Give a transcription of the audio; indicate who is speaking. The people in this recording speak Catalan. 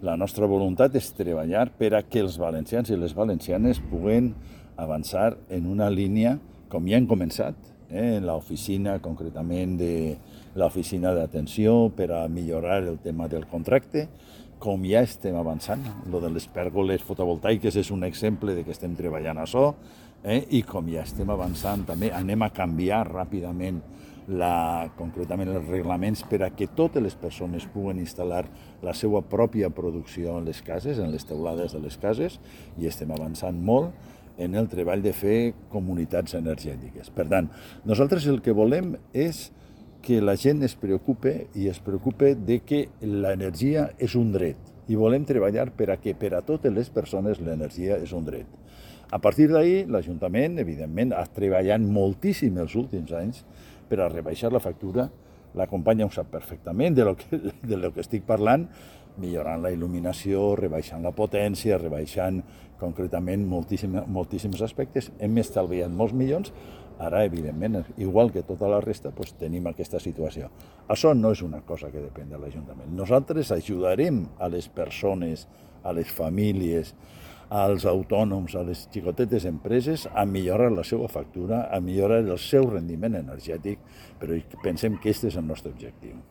Speaker 1: La nostra voluntat és treballar per a que els valencians i les valencianes puguen avançar en una línia, com ja hem començat, en l'oficina, concretament de l'oficina d'atenció, per a millorar el tema del contracte, com ja estem avançant. Lo de les pèrgoles fotovoltaiques és un exemple de que estem treballant a això, i com ja estem avançant també, anem a canviar ràpidament concretament els reglaments per a que totes les persones puguen instal·lar la seva pròpia producció en les cases, en les teulades de les cases, i estem avançant molt en el treball de fer comunitats energètiques. Per tant, nosaltres el que volem és que la gent es preocupe de que l'energia és un dret i volem treballar per a que per a totes les persones l'energia és un dret. A partir d'ahir, l'Ajuntament, evidentment, ha treballat moltíssim els últims anys per a rebaixar la factura. La companya ho sap perfectament de lo que estic parlant, millorant la il·luminació, rebaixant la potència, rebaixant concretament moltíssims aspectes. Hem estalviat molts milions. Ara, evidentment, igual que tota la resta, tenim aquesta situació. Això no és una cosa que depèn de l'Ajuntament. Nosaltres ajudarem a les persones, a les famílies, als autònoms, a les xicotetes empreses, a millorar la seva factura, a millorar el seu rendiment energètic, però pensem que aquest és el nostre objectiu.